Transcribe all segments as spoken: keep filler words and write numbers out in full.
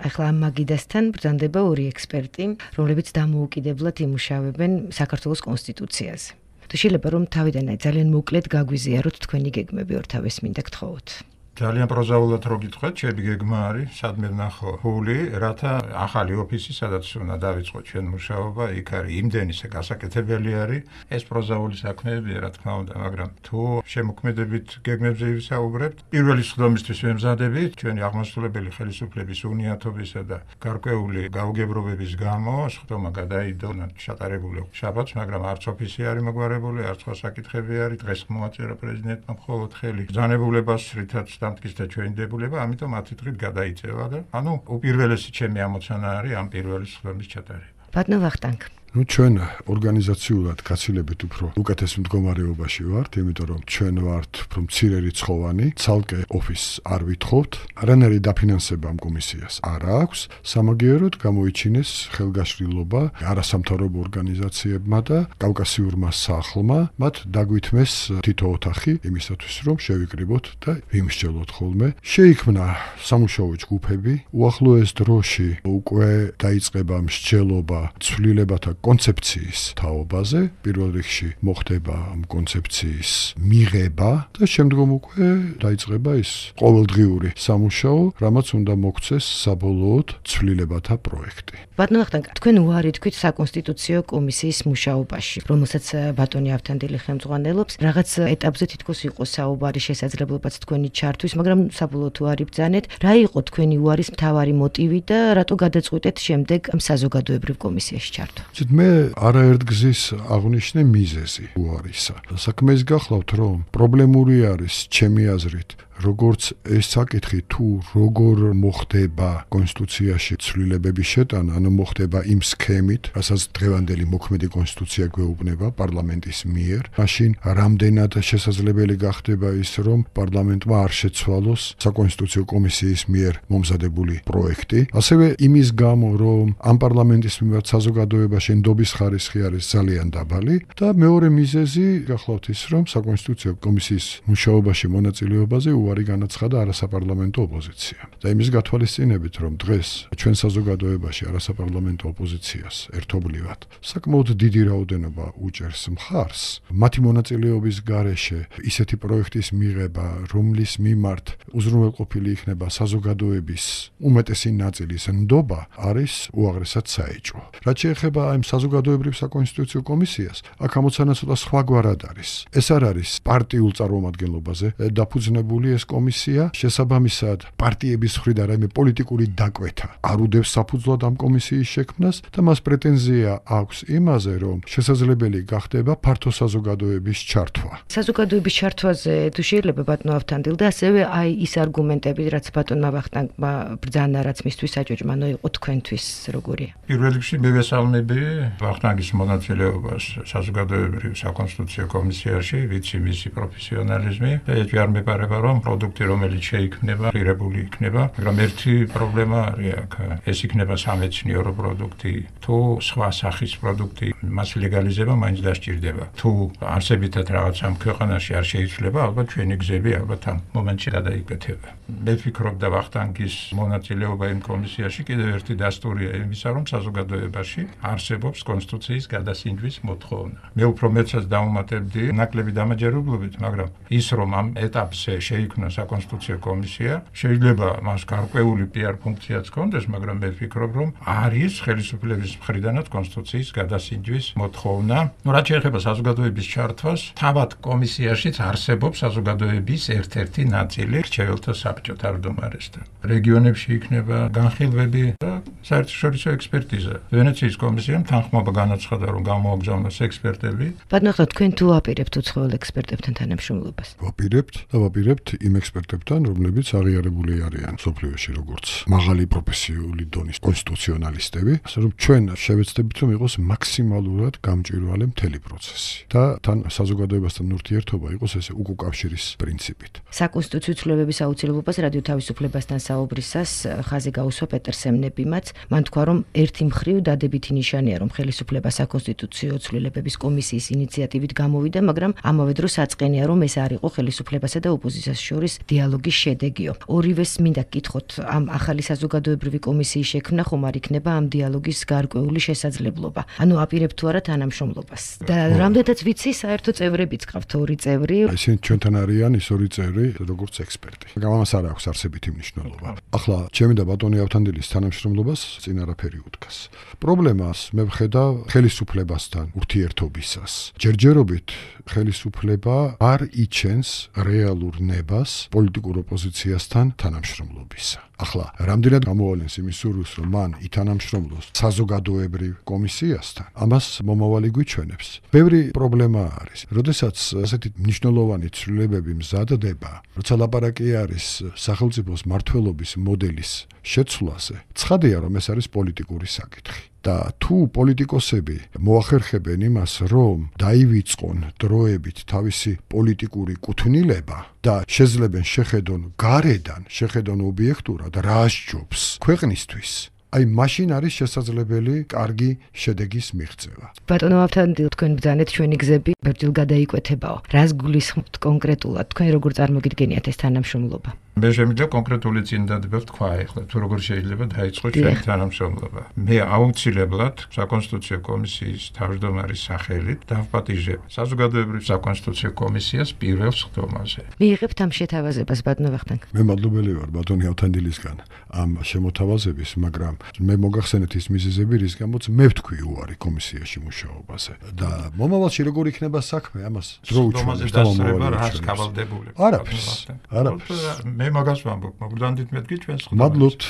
ახლა ამ მაგიდასთან ბრძანდება ორი ექსპერტი, რომლებიც დამოუკიდებლად იმუშავებენ საქართველოს კონსტიტუციაზე. თუ შეიძლება რომ თავიდან ძალიან მოკლედ გაგვიზიაროთ თქვენი გეგმები ორთავეს მინდა გთხოვოთ. ძალიან პროზაულად რო გითხრათ, ჩემი გეგმა არის სადმე ვნახო ფული, რათა ახალი ოფისი, სადაც უნდა დავიწყოთ ჩვენ მუშაობა, იქ არის იმდენი გასაკეთებელი არის. ეს პროზაული საქმეებია, რა თქმა უნდა, მაგრამ თუ შემოქმედებით გეგმებზე ვისაუბრებთ, პირველი სხდომისთვის ვემზადებით ჩვენი აღმასრულებელი ხელისუფლების უნიათობისა და გარკვეული გაუგებრობების გამო სხდომა გადაიდო ჩატარებული შაბათს, მაგრამ არც ოფისი არის მოგვარებული, არც სხვა საკითხები არის. დღეს მოაწერა პრეზიდენტმა მხოლოდ ხელი ბრძანებულებას, რითაც დამტკიცდა ჩვენი დებულება, ამიტომ ათი დღით გადაიწევა და ანუ უპირველესი ჩემი ამოცანა არის ამ პირველი სხდომის ჩატარება. ბატონო ვახტანგ. ნუ ჩვენ ორგანიზაციულად გაცილებით უფრო უკეთეს მდგომარეობაში ვართ, იმიტომ რომ ჩვენ ვართ უფრო მცირე რიცხოვანი, ცალკე ოფისს არ ვითხოვთ, არანაირი დაფინანსება ამ კომისიას არ აქვს, სამაგიეროდ გამოიჩინეს ხელგაშლილობა არასამთავრობო ორგანიზაციებმა და კავკასიურმა სახლმა, მათ დაგვითმეს თითო ოთახი იმისათვის, რომ შევიკრიბოთ და ვიმსჯელოთ ხოლმე. შეიქმნა სამუშაო ჯგუფები, უახლოეს დროში უკვე დაიწყება მსჯელობა ცვლილებათა კონცეფციის თაობაზე, პირველ რიგში მოხდება ამ კონცეფციის მიღება და შემდგომ უკვე დაიწყება ის ყოველდღიური სამუშაო, რამაც უნდა მოქცეს საბოლოოდ ცვლილებათა პროექტი. ბატონო ვახტანგ, თქვენ უარი თქვით საკონსტიტუციო კომისიის მუშაობაში, რომელსაც ბატონი ავთანდილი ხელმძღვანელობს, რაღაც ეტაპზე თითქოს იყო საუბარი შესაძლებლობაც თქვენი ჩართვის, მაგრამ საბოლოოდ უარი ბრძანეთ. რა იყო თქვენი უარის მთავარი მოტივი და რატო გადაწყვიტეთ შემდეგ ამ საზოგადოებრივ კომისიაში ჩართვა? მე არაერთგზის აღნიშნე მიზეზი უარისა. საქმე ის გახლავთ, რომ პრობლემური არის ჩემი აზრით, როგორც ეს საკითხი თუ როგორ მოხდება კონსტიტუციაში ცვლილებების შეტანა, ანუ მოხდება იმ სქემით, რასაც დღევანდელი მოქმედი კონსტიტუცია გვეუბნება პარლამენტის მიერ, მაშინ რამდენად შესაძლებელი გახდება ის, რომ პარლამენტმა არ შეცვალოს საკონსტიტუციო კომისიის მიერ მომზადებული პროექტი, ასევე იმის გამო, რომ ამ პარლამენტის მიმართ საზოგადოებაში ნდობის ხარისხი არის ძალიან დაბალი და მეორე მიზეზი გახლავთ ის, რომ საკონსტიტუციო კომისიის მუშაობაში მონაწილეობაზე უარი განაცხადა არასაპარლამენტო ოპოზიციამ. და იმის გათვალისწინებით, რომ დღეს ჩვენ საზოგადოებაში არასაპარლამენტო ოპოზიციას ერთობლივად საკმაოდ დიდი რაოდენობა უჭერს მხარს, მათი მონაწილეობის გარეშე ისეთი პროექტის მიღება, რომლის მიმართ უზრუნველყოფილი იქნება საზოგადოების უმეტესი ნაწილის ნდობა, არის უაღრესად საეჭვო. რაც შეეხება ამ საზოგადოებრივ საკონსტიტუციო კომისიას, აქ ამოცანა ცოტა სხვაგვარად არის. ეს არ არის პარტიულ წარმომადგენლობაზე დაფუძნებული ეს კომისია, შესაბამისად პარტიების მხრიდან რაიმე პოლიტიკური დაკვეთა არ უდევს საფუძვლად ამ კომისიის შექმნას და მას პრეტენზია აქვს იმაზე, რომ შესაძლებელი გახდება ფართო საზოგადოების ჩართვა. საზოგადოების ჩართვაზე თუ შეიძლება ბატონო ავთანდილ და ასევე აი ის არგუმენტები, რაც ბატონმა ვახტანგმა ბრძანა, რაც მისთვის საჭოჭმანო იყო თქვენთვის როგორია? პირველ რიგში მივესალმები ვახტანგის მონაწილეობას საზოგადოებრივ საკონსტიტუციო კომისიაში, ვიცი მისი პროფესიონალიზმი და ეჭვი არ მეპარება, რომ პროდუქტი, რომელიც შეიქმნება, ღირებული იქნება, მაგრამ ერთი პრობლემა არის აქ. ეს იქნება სამეცნიერო პროდუქტი, თუ სხვა სახის პროდუქტი, მას ლეგალიზება მაინც დასჭირდება. თუ არსებითად რაღაც ამ ქვეყანაში არ შეიძლება, ალბათ ჩვენი გზები ალბათ ამ მომენტში გადაიკეთება. მე ვფიქრობ და ვახტანგის მონაწილეობა იმ კომისიაში კიდევ ერთი დასტურია იმისა, რომ საზოგადოებაში არსებობს კონსტიტუციის გადასინჯვის მოთხოვნა. მე უფრო მეცაც დავუმატებდი ნაკლები დამაჯერებლობით, მაგრამ ის რომ ამ ეტაპზე შეიქმნა საკონსტიტუციო კომისია, შეიძლება მას გარკვეული პიარ ფუნქციაც ჰქონდეს, მაგრამ მე ვფიქრობ, რომ არის ხელისუფლების მხრიდანაც კონსტიტუციის გადასინჯვის მოთხოვნა. ნუ რაც შეეხება საზოგადოების ჩართვას, თავად კომისიაშიც არსებობს საზოგადოების ერთ-ერთი ნაწილი რჩეველთა საბჭო თავმჯდომარესთან. რეგიონებში იქნება განხილვები და საერთაშორისო ექსპერტიზა. ვენეციის კომისიამ თანხმობა განაცხადა, რომ გამოაგზავნოს ექსპერტები. ბატონო, თქვენ თუ აპირებთ უცხოელ ექსპერტებთან თანამშრომლობას? ვაპირებთ და ვაპირებთ იმ ექსპერტებთან, რომლებიც აღიარებული არიან სოფლიოში როგორც მაღალი პროფესიული დონის კონსტიტუციონალისტები, ასე რომ ჩვენ შევეცდებით, რომ იყოს მაქსიმალურად გამჭვირვალე მთელი პროცესი და თან საზოგადოებასთან ურთიერთობა იყოს ესე უკუკავშირის პრინციპით. საკონსტიტუციო ცვლილებების აუცილებლობას რადიო თავისუფლებასთან საუბრისას ხაზი გაუსვა პეტერ სემნებიმაც, მან თქვა, რომ ერთი მხრივ დადებითი ნიშანია, რომ ხელისუფლება საკონსტიტუციო ცვლილებების კომისიის ინიციატივით გამოვიდა, მაგრამ ამავე დროს აწყენია, რომ ეს არ იყო ხელისუფლებასა და ოპოზიციას შორის დიალოგის შედეგიო. ორივეს მინდა გკითხოთ, ამ ახალი საზოგადოებრივი კომისიის შექმნა ხომ არ იქნება ამ დიალოგის გარკვეული შესაძლებლობა. ანუ აპირებთ თუ არა თანამშრომლობას. და რამდენადაც ვიცი, საერთო წევრებიც გყავთ ორი წევრი. ისინი ჩვენთან არიან ის ორი წევრი, როგორც ექსპერტი. გამამას არ აქვს არსებითი მნიშვნელობა. ახლა ჩემი და ბატონი ავთანდილის თანამშრომლობას წინ არაფერი უდგას. პრობლემას მე ვხედავ ხელისუფლებასთან ურთიერთობისას. ჯერჯერობით ხელისუფლება არ იჩენს რეალურ ნებას პოლიტიკურ ოპოზიციასთან თანამშრომლობისა. ახლა რამდენად გამოვალენს იმის სურვილს, რომ მან ითანამშრომლოს საზოგადოებრივ კომისიასთან, ამას მომავალი გვიჩვენებს. ბევრი პრობლემა არის. როდესაც ასეთი მნიშვნელოვანი ცვლილებები მზადდება, როცა ლაპარაკი არის სახელმწიფოს მმართველობის მოდელის შეცვლაზე, ცხადია, რომ ეს არის პოლიტიკური საკითხი. და თუ პოლიტიკოსები მოახერხებენ იმას, რომ დაივიწყონ დროებით თავისი პოლიტიკური კუთვნილება და შეძლებენ შეხედონ გარედან, შეხედონ ობიექტურად რა სჯობს ქვეყნისთვის, აი მაშინ არის შესაძლებელი კარგი შედეგის მიღწევა. ბატონო ავთანდილ, თქვენ ბრძანეთ ჩვენი გზები ბერძილ გადაიკვეთებაო. რას გულისხმობთ კონკრეტულად? თქვენ როგორ წარმოგიდგენიათ ეს თანამშრომლობა? მე შემიძლია კონკრეტული წინდადება ვთქვა ახლა, თუ როგორ შეიძლება დაიწყოს ჩვენი თანამშრომლობა. მე აუცილებლად საკონსტიტუციო კომისიის თავმჯდომარის სახელით დავპატიჟებ საზოგადოებრივ საკონსტიტუციო კომისიას პირველ სხდომაზე. მიიღებთ ამ შეთავაზებას, ბატონო ვახტანგ. მე მადლობელი ვარ ბატონი ავთანდილისგან ამ შემოთავაზების, მაგრამ მე მოგახსენეთ ის მიზეზები, რის გამოც მე ვთქვი უარი კომისიაში მუშაობაზე. და მომავალში როგორ იქნება საქმე, ამას დრო უჩვენებს და მომავალი რას გავალდებული. არაფერს. არაფერს. მე მაგას ვამბობ, მოგდანდით მეთქი ჩვენს ხდომაზე. მადლობთ.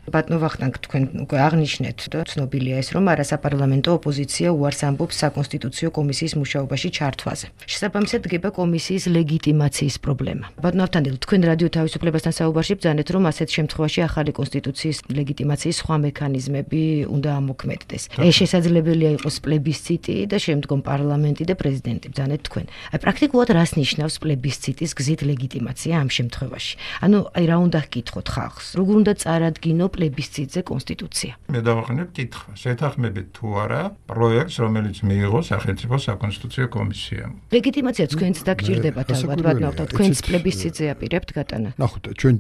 ბატონო ვახტანგ, თქვენ უკვე აღნიშნეთ და ცნობილია ეს, რომ არასაპარლამენტო ოპოზიცია უარს ამბობს საკონსტიტუციო კომისიის მუშაობაში ჩართვაზე. შესაბამისად დგება კომისიის ლეგიტიმაციის პრობლემა. ბატონო ავთანდილ, თქვენ რადიო თავისუფლებასთან საუბარში ბრძანეთ, რომ ასეთ შემთხვევაში ახალი კონსტიტუციის ლეგიტიმაციის სხვა მექანიზმები უნდა ამოქმედდეს. ეს შესაძლებელია იყოს პლებისციტი და შემდგომ პარლამენტი და პრეზიდენტი, ბრძანეთ თქვენ. აი პრაქტიკულად რას ნიშნავს პლებისციტის გზით ლეგიტიმაცია ამ შემთხვევაში? ანუ აი რა უნდა გკითხოთ ხალხს? როგორ უნდა წარადგინო პლებისციტზე კონსტიტუცია? მე დავაყენებ კითხვას. შეთანხმებით თუ არა პროექტს, რომელიც მიიღო სახელმწიფო საკონსტიტუციო კომისიამ. ლეგიტიმაცია თქვენც დაგჭირდებათ ალბათ, ბატონო ავთანდილ, თქვენც პლებისციტზე აპირებთ გატანა. ნახოთ, ჩვენ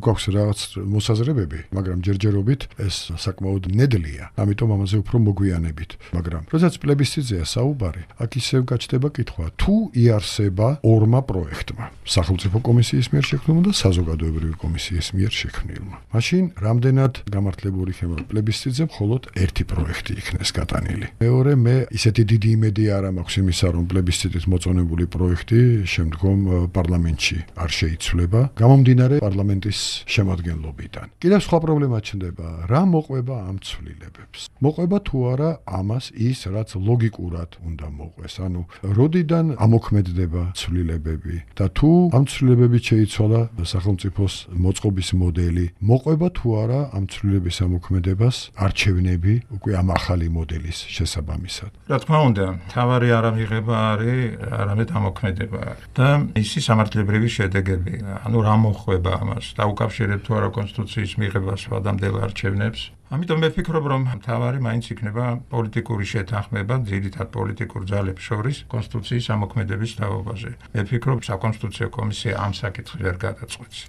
გვაქვს რაღაც მოსაზრებები, მაგრამ ჯერჯერობით ეს საკმაოდ ნედლია, ამიტომ ამაზე უფრო მოგვიანებით. მაგრამ როდესაც პლებისციტზეა საუბარი, აქ ისევ გაჩნდება კითხვა, თუ იარსება ორმა პროექტმა, სახელმწიფო კომისიის მიერ შექმნილმა და საზოგადოებრივი კომისიის მიერ შექმნილმა. მაშინ რამდენად გამართლებული იქნება პლებისციტზე, მხოლოდ ერთი პროექტი იქნეს გატანილი. მეორე, მე ისეთი დიდი იმედი არ მაქვს იმისა, რომ პლებისციტით მოწონებული პროექტი შემდგომ პარლამენტში არ შეიცვლება, გამომდინარე პარლამენტის შემადგენლობიდან. კიდევ სხვა პრობლემა ჩნდება, რა მოყვება ამ ცვლილებებს? მოყვება თუ არა ამას ის, რაც ლოგიკურად უნდა მოყვეს, ანუ როდიდან ამოქმედდება ცვლილებები და თუ ამ ცვლილებებით შეიცვალა სახელმწიფოს მოწყობის მოდელი, მოყვება თუ არა ამ ცვლილების ამოქმედებას არჩევნები უკვე ამ ახალი მოდელის შესაბამისად. რა თქმა უნდა, თავარი არ ამიღება არის, არამედ ამოქმედება არის. და ისი სამართლებრივი შედეგები, ანუ რა მოხვება ამას, დაუკავშირებთ თუ არა კონსტიტუციის მიღებას სვადამდელ არჩევნებს. ამიტომ მე ვფიქრობ, რომ თავარი მაინც იქნება პოლიტიკური შეთანხმება ძირითად პოლიტიკურ ძალებს შორის კონსტიტუციის ამოქმედების თაობაზე. მე ვფიქრობ, საკონსტიტუციო კომისია ამ საკითხს ვერ გადაწყვეტს.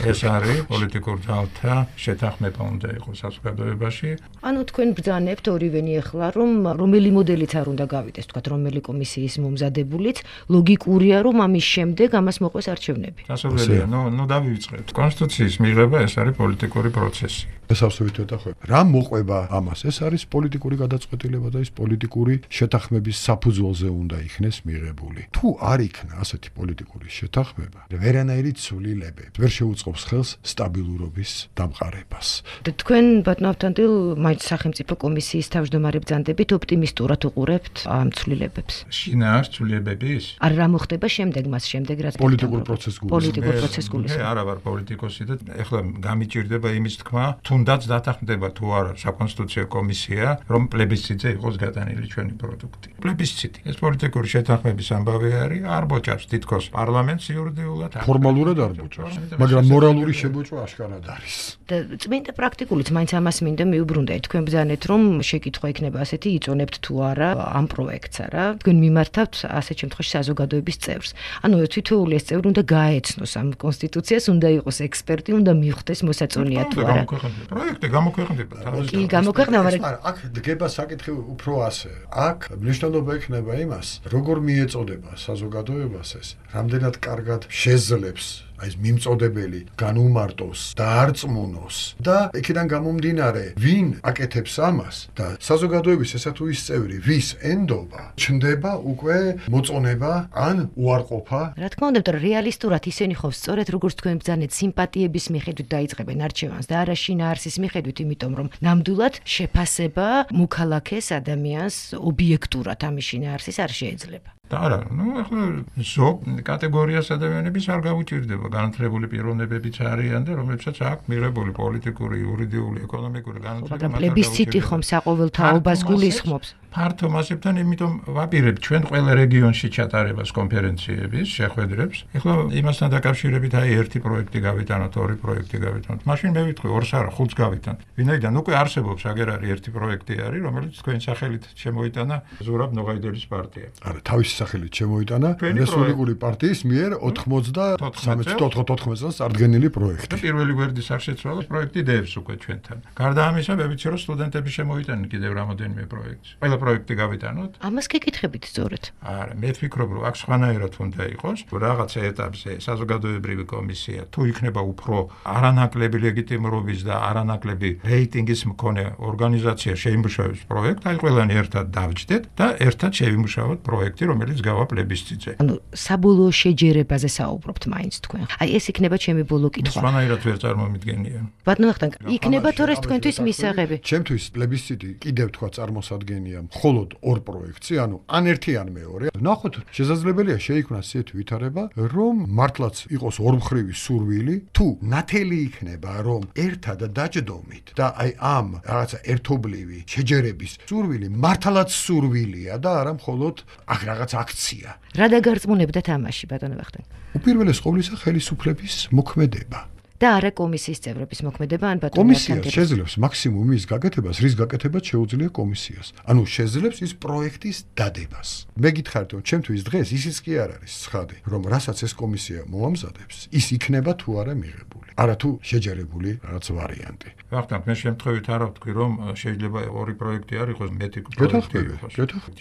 ეს არის პოლიტიკურ ძალთა შეთანხმება უნდა იყოს საზოგადოებაში. ანუ თქვენ ბრძანებთ ორივენი ახლა, რომ რომელი მოდელიც არ უნდა გავიდეს, თქვათ რომელი კომისიის მომზადებულიც, ლოგიკურია, რომ ამის შემდეგ ამას მოყვეს არჩევნები. სასურველია, ნუ ნუ დავივიწყებთ. კონსტიტუციის მიღება ეს არის პოლიტიკური პროცესი. ეს აბსოლუტურად ახლა რა მოყვება ამას? ეს არის პოლიტიკური გადაწყვეტილება და ის პოლიტიკური შეთანხმების საფუძველზე უნდა იქნეს მიღებული. თუ არ იქნა ასეთი პოლიტიკური შეთანხმება, ვერანაირი ცვლილებები ვერ შეუწყობს ხელს სტაბილურობის დამყარებას. და თქვენ ბატონო ავთანდილ, მაინც სახელმწიფო კომისიის თავმჯდომარე ბრძანდებით ოპტიმისტურად უყურებთ ამ ცვლილებებს. შინაარს ცვლილებების? არ რა მოხდება შემდეგ მას შემდეგ რაც პოლიტიკურ პროცესს გულისხმობ. პოლიტიკურ პროცესს გულისხმობ. მე არა ვარ პოლიტიკოსი და ეხლა გამიჭირდება იმის თქმა, თუ თუნდაც დათანხმდება თუ არა საკონსტიტუციო კომისია, რომ პლებისციტზე იყოს გატანილი ჩვენი პროდუქტი. პლებისციტი ეს პოლიტიკური შეთანხმების ამბავი არის, არ ბოჭავს თითქოს პარლამენტს იურიდიულად. ფორმალურად არ ბოჭავს, მაგრამ მორალური შებოჭვა აშკარად არის. და წმინდა პრაქტიკულიც მაინც ამას მინდა მიუბრუნდეთ. თქვენ ბრძანეთ, რომ შეკითხვა იქნება ასეთი, იწონებთ თუ არა ამ პროექტს არა. თქვენ მიმართავთ ასეთ შემთხვევაში საზოგადოების წევრს. ანუ თითოეული ეს წევრი უნდა გაეცნოს ამ კონსტიტუციას, უნდა იყოს ექსპერტი, უნდა მიხვდეს მოსაწონია თუ არა. პროექტი გამოქვეყნდება. კი, გამოქვეყნდება, მაგრამ აქ დგება საკითხი უფრო ასე. აქ მნიშვნელობა ექნება იმას, როგორ მიეწოდება საზოგადოებას ეს, რამდენად კარგად შეძლებს აი ეს მიმწოდებელი განუმარტოს და არწმუნოს და იქიდან გამომდინარე ვინ აკეთებს ამას და საზოგადოების ესა თუ ის წევრი ვის ენდობა ჩნდება უკვე მოწონება ან უარყოფა. რა თქმა უნდა, რეალისტურად ისინი ხო სწორედ როგორც თქვენ ბრძანეთ სიმპათიების მიხედვით დაიწყებენ არჩევანს და არა შინაარსის მიხედვით, იმიტომ რომ ნამდვილად შეფასება მოქალაქეს ადამიანს ობიექტურად ამის შინაარსის არ შეიძლება. და არა, ну, ახლა ზოგ კატეგორიას ადამიანების არ გაუჭირდება განათლებული პიროვნებებიც არიან და რომლებსაც აქვს მიღებული პოლიტიკური, იურიდიული, ეკონომიკური განათლება. მაგრამ პლებისციტი ხომ საყოველთაობას გულისხმობს. ფართო მასებთან, იმიტომ ვაპირებთ ჩვენ ყველა რეგიონში ჩატარებას კონფერენციების, შეხვედრებს. ეხლა იმასთან დაკავშირებით აი ერთი პროექტი გავიტანოთ, ორი პროექტი გავიტანოთ. მაშინ მე ვიტყვი ორს არა, ხუთს გავიტანთ. ვინაიდან უკვე არსებობს, აგერ არის ერთი პროექტი არის, რომელიც თქვენ სახელით შემოიტანა ზურაბ ნოღაიდელის პარტია. არა, თავისი სახელით შემოიტანა რესპუბლიკური პარტიის მიერ ოცდაოთხ წელს წარდგენილი პროექტი. პირველი გვერდის არ შეცვალა პროექტი დევს უკვე ჩვენთან. გარდა ამისა, მე ვიცი, რომ სტუდენტები შემოიტანენ კიდევ რამოდენიმე პროექტს. ყველა პროექტი გავიტანოთ. ამას გეკითხებით სწორედ. არა, მე ვფიქრობ, რომ აქ სხვანაირად უნდა იყოს, რაღაცა ეტაპზე საზოგადოებრივი კომისია თუ იქნება უფრო არანაკლები ლეგიტიმურობის და არანაკლები რეიტინგის მქონე ორგანიზაცია შეიმუშავებს პროექტს, აი ყველანი ერთად დავჯდეთ და ერთად შევიმუშავოთ პროექტი, რომელიც გავა პლებისციტზე. ანუ საბოლოო შეჯერებაზე საუბრობთ მაინც თქვენ. აი ეს იქნება ჩემი ბოლო კითხვა. სხვანაირად ვერ წარმომიდგენია. ბატონო ვახტანგ, იქნება თორე თქვენთვის მისაღები. ჩემთვის პლებისციტი კიდევ თქვა წარმოსადგენია მხოლოდ ორ პროექტში, ანუ ან ერთი ან მეორე. ნახოთ, შესაძლებელია შეიქმნას ისეთი ვითარება, რომ მართლაც იყოს ორმხრივი სურვილი, თუ ნათელი იქნება, რომ ერთად დაჯდომით და აი ამ რაღაცა ერთობლივი შეჯერების სურვილი მართლაც სურვილია და არა მხოლოდ აქ რაღაც აქცია. რა დაგარწმუნებდათ ამაში, ბატონო ვახტანგ? უპირველეს ყოვლისა ხელისუფლების მოქმედება. და არა კომისიის წევრების მოქმედება ან ბატონო კომისია შეძლებს მაქსიმუმ ის გაკეთებას, რის გაკეთებაც შეუძლია კომისიას. ანუ შეძლებს ის პროექტის დადებას. მე გითხარით, რომ ჩემთვის დღეს ისიც კი არ არის ცხადი, რომ რასაც ეს კომისია მოამზადებს, ის იქნება თუ არა მიღებული. არა თუ შეჯერებული რაღაც ვარიანტი. ვახტანგ, მე შემთხვევით არა ვთქვი, რომ შეიძლება ორი პროექტი არ იყოს, მეტი პროექტი იყოს.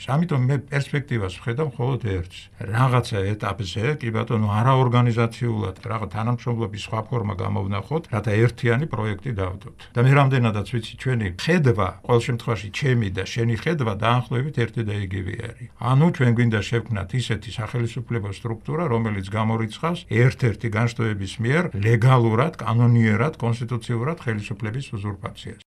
ამიტომ მე პერსპექტივას ვხედავ მხოლოდ ერთს. რაღაცა ეტაპზე, კი ბატონო, არაორგანიზაციულად, რაღაც თანამშრომლობის სხვა ფორმა გამოვნახოთ, რათა ერთიანი პროექტი დავდოთ. და მე რამდენადაც ვიცი, ჩვენი ხედვა, ყოველ შემთხვევაში ჩემი და შენი ხედვა დაახლოებით ერთი და იგივე არის. ანუ ჩვენ გვინდა შევქმნათ ისეთი სახელმწიფო სტრუქტურა, რომელიც გამორიცხავს ერთ-ერთი განშტოების მიერ ლეგალურად, კანონიერად, კონსტიტუციურად ხელისუფლების უზურპაციას.